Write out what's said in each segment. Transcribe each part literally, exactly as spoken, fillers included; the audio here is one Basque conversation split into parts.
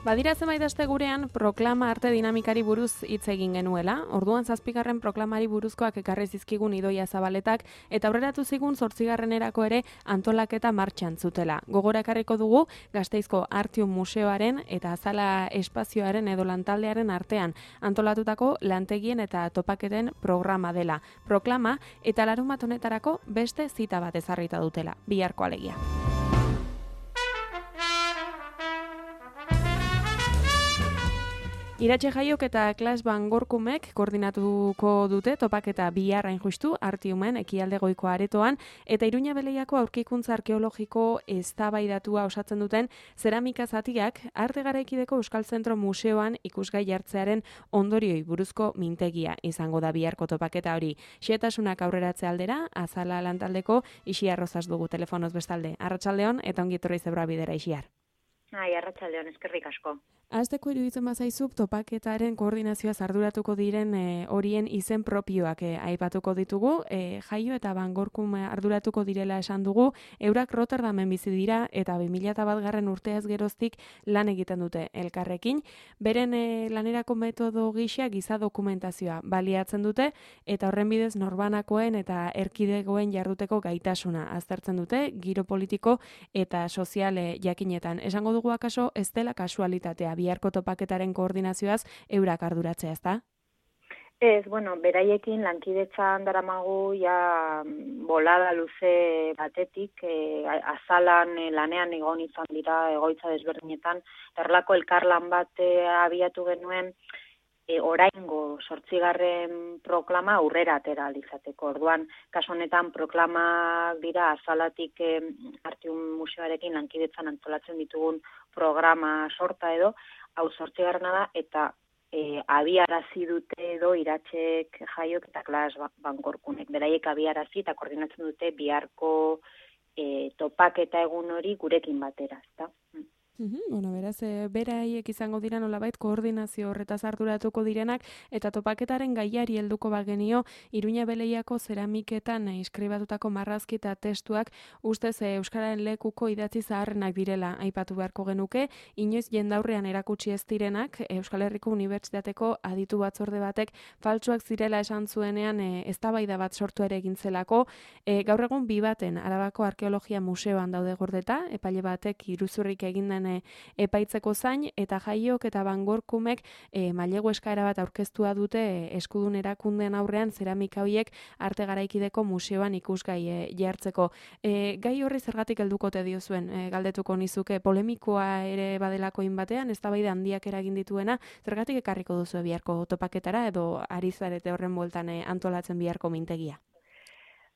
Badira zenbait aste gurean proklama arte dinamikari buruz hitz egin genuela. Orduan zazpigarren proklamari buruzkoak ekarri zizkigun Idoia Zabaletak eta aurreratu zigun zortzigarrenerako ere antolaketa martxan zutela. Gogora ekarriko dugu Gasteizko Artium Museoaren eta Azala Espazioaren edo lantaldearen artean antolatutako lantegien eta topaketen programa dela. Proklama eta larunbat honetarako beste zita bat ezarrita dutela. Biharko alegia. Iratxe Jaiok eta Klas Van Gorkumek koordinatuko dute topaketa bihar hain justu Artiumen ekialde goiko aretoan eta Iruña Beleiako aurkikuntza arkeologiko eztabaidatua osatzen duten zeramika zatiak arte garaikideko Euskal Zentro Museoan ikusgai jartzearen ondorioi buruzko mintegia izango da biharko topaketa hori. Xehetasunak aurreratze aldera, Azala lantaldeko Ixiar Rozas dugu telefonoz bestalde. Arratsaldeon eta ongi etorri Zebra Bidera, Ixiar. Ai, arratsaldeon, eskerrik asko. Azteko iruditzen bazaizu topaketaren koordinazioaz arduratuko diren e, horien izen propioak e, aipatuko ditugu. E, Jaio eta Van Gorkum arduratuko direla esan dugu. Eurak Rotterdamen bizi dira eta bi mila bat garren urteaz geroztik lan egiten dute elkarrekin. Beren e, lanerako metodo gisa giza dokumentazioa baliatzen dute eta horren bidez norbanakoen eta erkidegoen jarduteko gaitasuna aztertzen dute giro politiko eta soziale jakinetan. Esango dugu akaso ez dela kasualitatea biharko topaketaren koordinazioaz eurak arduratzea, ezta? Ez, bueno, beraiekin lankidetzan daramagu ja bolada luze batetik, e, azalan e, lanean egon izan dira egoitza desberdinetan, erlako elkarlan bat e, abiatu genuen e, oraingo zortzigarren proklama aurrera atera alizateko. Orduan, kasu honetan proklamak dira azalatik e, Artium Museoarekin lankidetzan antolatzen ditugun programa sorta edo, hau zortzigarrena da, eta e, abiarazi dute edo Iratxek Jaiok eta Klas Van Gorkunek. Beraiek abiarazi eta koordinatzen dute biharko e, topaketa egun hori gurekin batera, ezta? Uhum, bueno, beraz, e, beraiek izango dira nolabait koordinazio horretaz arduratuko direnak eta topaketaren gaiari helduko bagenio Iruña Beleiako zeramiketan e, inskribatutako marrazki eta testuak ustez e, euskararen lekuko idatzi zaharrenak direla aipatu beharko genuke, inoiz jendaurrean erakutsi ez direnak Euskal Herriko Unibertsitateko aditu batzorde batek faltsuak zirela esan zuenean e, eztabaida bat sortu ere egin zelako. E, gaur egun bi baten Arabako Arkeologia Museoan daude gordeta, epaile batek iruzurrik egin den epaitzeko zain, eta Jaiok eta Van Gorkumek e, mailegu eskaera bat aurkeztua dute e, eskudun erakundeen aurrean zeramika horiek arte garaikideko museoan ikusgai e, jartzeko. E, gai horri zergatik heldukote diozuen, e, galdetuko nizuke, polemikoa ere badelako batean, eztabaida handiak eragin dituena, zergatik ekarriko duzu biharko topaketara edo ari zarete horren bueltan e, antolatzen biharko mintegia?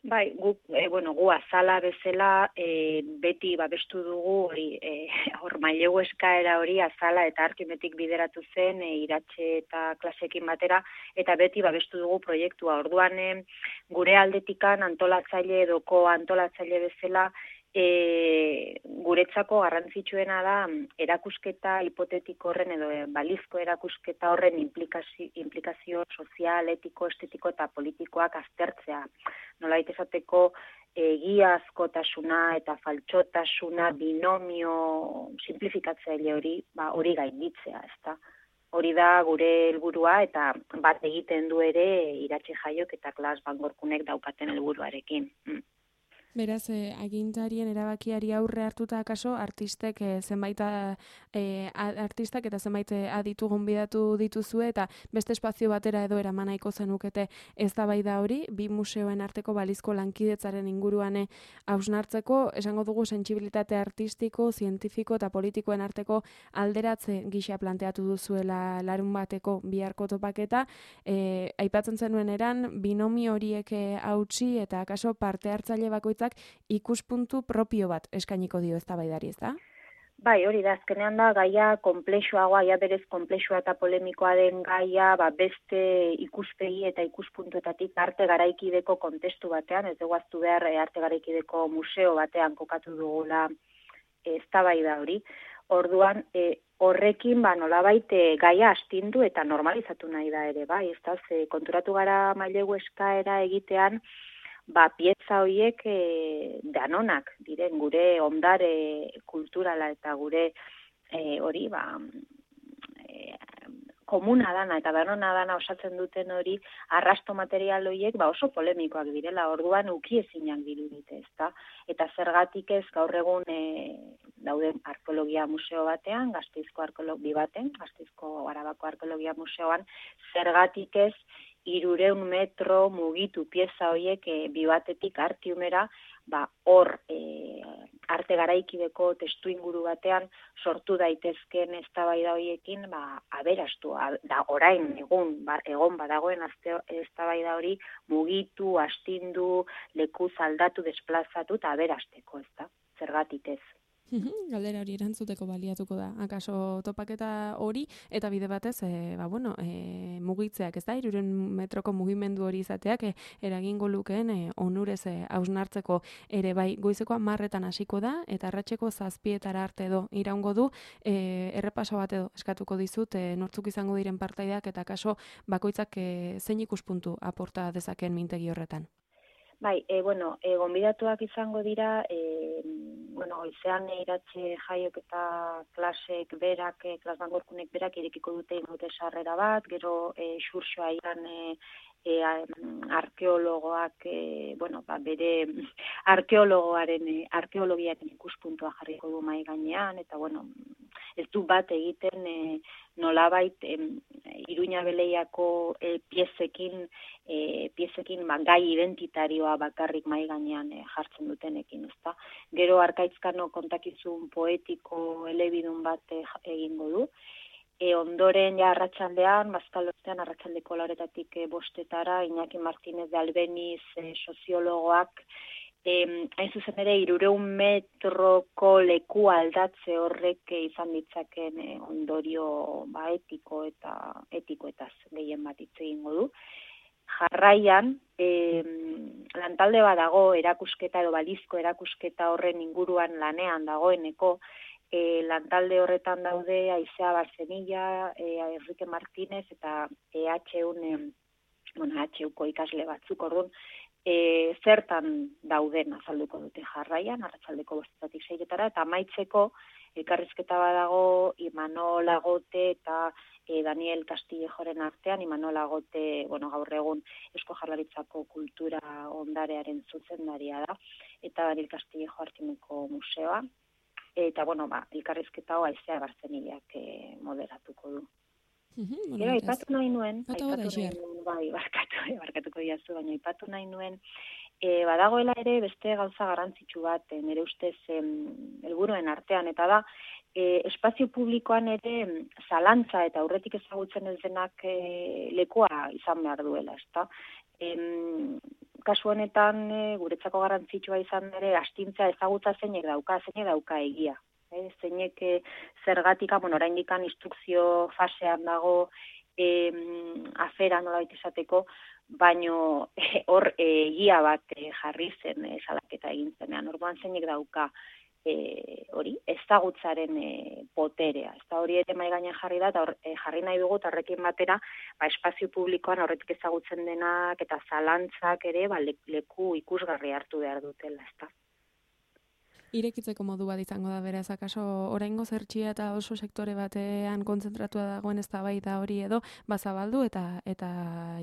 Bai, gu, e, bueno, gu azala bezala e, beti babestu dugu hori, e, hor mailegu eskaera hori azala eta Artiumetik bideratu zen e, Iratxe eta Klasekin batera, eta beti babestu dugu proiektua. Orduan e, gure aldetikan antolatzaile edoko antolatzaile bezala E, guretzako garrantzitsuena da erakusketa hipotetiko horren edo e, balizko erakusketa horren implikazio, implikazio sozial, etiko, estetiko eta politikoak aztertzea. Nolabait esateko egiazkotasuna eta faltsotasuna binomio simplifikatzaile hori, ba, hori gainditzea, ezta? Hori da gure helburua eta bat egiten du ere Iratxe Jaiok eta Klas Van Gorkunek daukaten helburuarekin. Mm. Beraz, eh, agintarien erabakiari aurre hartuta akaso, artistek eh, zenbait eh, artistak eta zenbait aditu gonbidatu dituzue eta beste espazio batera edo eraman nahiko zenukete eztabaida hori, bi museoen arteko balizko lankidetzaren inguruan hausnartzeko, esango dugu sentsibilitate artistiko, zientifiko eta politikoen arteko alderatze gisa planteatu duzuela larun bateko biharko topaketa, eh, aipatzen zenuen eran, binomi horiek hautsi eta akaso parte hartzaile bakoitzak ikuspuntu propio bat eskainiko dio eztabaidari, ezta? Bai, hori da, azkenean da gaia konplexuagoa, ja berez konplexua eta polemikoa den gaia, ba, beste ikuspegi eta ikuspuntuetatik arte garaikideko kontestu batean, ez dugu aztu behar arte garaikideko museo batean kokatu dugula eztabaida hori. Orduan, e, horrekin ba, nolabait e, gaia astindu eta normalizatu nahi da ere, bai, ez da, ze, konturatu gara mailegu eskaera egitean, ba, pieza horiek e, danonak diren gure ondare kulturala eta gure e, hori ba, komuna dana eta danona dana osatzen duten hori arrasto material horiek ba oso polemikoak direla, orduan ukiezinak dirudite, ezta? Eta zergatik ez gaur egun e, dauden arkeologia museo batean, Gasteizko arkeologi baten, Gasteizko Arabako arkeologia museoan, zergatik ez hirurehun metro mugitu pieza horiek e, bi batetik Artiumera, ba hor e, arte garaikideko testu inguru batean sortu daitezkeen eztabaida horiekin ba aberastu da orain egun ba, egon badagoen eztabaida hori mugitu, astindu, lekuz aldatu, desplazatu eta aberasteko, ezta? Zergatik ez. Galdera hori erantzuteko baliatuko da. Akaso topaketa hori eta bide batez, e, ba bueno, e, mugitzeak, ez da, hirurehun metroko mugimendu hori izateak e, eragingo lukeen e, onurez e, hausnartzeko ere bai goizeko hamarretan hasiko da eta arratseko zazpietara arte edo iraungo du, e, errepaso bat edo eskatuko dizut e, nortzuk izango diren partaideak eta akaso bakoitzak e, zein ikuspuntu aporta dezakeen mintegi horretan. Bai, e, bueno, e, gonbidatuak izango dira, e, bueno, goizean iratxe jaiok eta klasek berak, e, klas bangorkunek berak irekiko dute ingote sarrera bat, gero e, xurxoa iran e, e, arkeologoak, e, bueno, ba, bere arkeologoaren, e, arkeologiaren ikuspuntua jarriko du mai gainean, eta bueno, ez du bat egiten e, nolabait e, Iruña Beleiako e, piezekin, e, piezekin ba, gai identitarioa bakarrik mai gainean e, jartzen dutenekin, ezta? Gero Arkaitzkano kontakizun poetiko elebidun bat e, egingo du. E, ondoren ja arratsaldean, bazkalostean arratsaldeko lauretatik e, bostetara, Iñaki Martínez de Albeniz e, soziologoak, e, hain zuzen ere, hirurehun metroko leku aldatze horrek e, izan ditzaken e, ondorio ba, etiko eta etikoetaz gehien bat hitz egingo du. Jarraian, e, lantalde bat dago erakusketa edo balizko erakusketa horren inguruan lanean dagoeneko, E, lantalde horretan daude Aizea Barzenilla, e, Enrique Martínez eta E H U, e, bueno, H Uko ikasle batzuk, orduan, e, zertan dauden azalduko dute jarraian, arratsaldeko bostetatik seietara, eta amaitzeko elkarrizketa badago Imanol Agote eta e, Daniel Castillejoren artean. Imanol Agote, bueno, gaur egun Eusko Jaurlaritzako kultura ondarearen zuzendaria da, eta Daniel Castillejo Artimeko museoa. Eta, bueno, ba, elkarrizketa hau Aizea Barzenillak e, moderatuko du. Uh-huh, Gero, aipatu nahi nuen, Bata aipatu bota, nahi nuen, bai, barkatu, barkatuko diazu, baina aipatu nahi nuen, e, badagoela ere beste gauza garrantzitsu bat, e, nire ustez em, helburuen artean, eta da, e, espazio publikoan ere zalantza eta aurretik ezagutzen ez denak e, lekua izan behar duela, ezta? Em, kasu honetan e, guretzako garrantzitsua izan ere astintzea ezagutza zeinek dauka, zeinek dauka egia. E, zeinek e, zergatika, bueno, oraindik instrukzio fasean dago e, afera nolabait esateko, baino e, hor e, egia bat e, jarri zen e, salaketa egin zenean. Orduan zeinek dauka E, hori, ezagutzaren e, poterea. Ez da hori ere mai gainean jarri da, eta hor, e, jarri nahi dugu, eta horrekin batera, ba, espazio publikoan horretik ezagutzen denak, eta zalantzak ere, ba, leku ikusgarri hartu behar dutela, ez da. Irekitzeko modu bat izango da beraz, akaso oraingo zertxia eta oso sektore batean kontzentratua dagoen eztabaida hori edo bazabaldu eta eta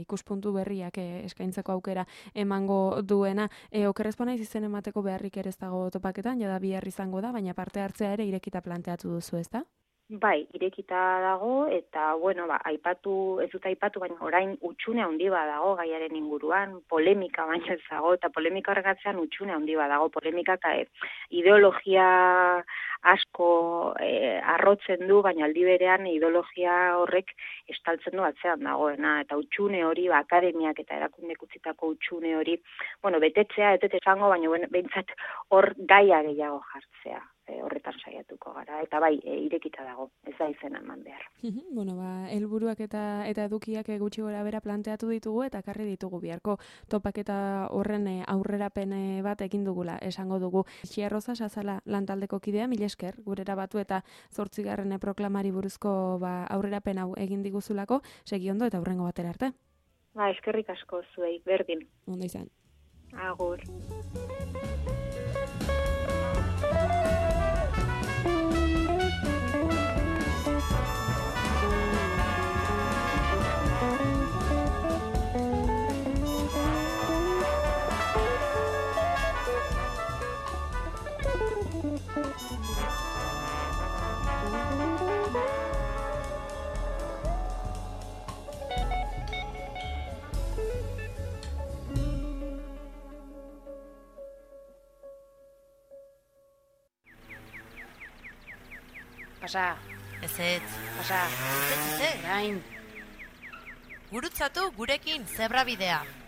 ikuspuntu berriak e, eskaintzeko aukera emango duena. E, okerrezpo naiz izen emateko beharrik ere ez dago topaketan, jada bihar izango da, baina parte hartzea ere irekita planteatu duzu, ezta? Bai, irekita dago, eta, bueno, ba, aipatu, ez dut aipatu, baina orain utxune handi bat dago gaiaren inguruan, polemika baina ez dago, eta polemika horregatzean utxune handi bat dago, polemika eta e, ideologia asko e, arrotzen du, baina aldi berean ideologia horrek estaltzen du atzean dagoena, eta utxune hori, ba, akademiak eta erakundek utzitako utxune hori, bueno, betetzea, ez dut esango, baina bueno, behintzat hor gaia gehiago jartzea. E, horretan saiatuko gara, eta bai, e, irekita dago, ez da izena eman behar. Bueno, ba, helburuak eta eta edukiak gutxi gora bera planteatu ditugu eta karri ditugu biharko topaketa horren aurrerapen bat egin dugula, esango dugu. Xiarroza Sazala lantaldeko kidea, mila esker, gurera batu eta zortzigarren proklamari buruzko ba, aurrerapen hau egin diguzulako, segi ondo eta hurrengo batera arte. Ba, eskerrik asko zuei, berdin. Ondo izan. Agur. Pasa. Ez ez. Pasa. Ez ez ez. Gain. Gurutzatu gurekin zebrabidea.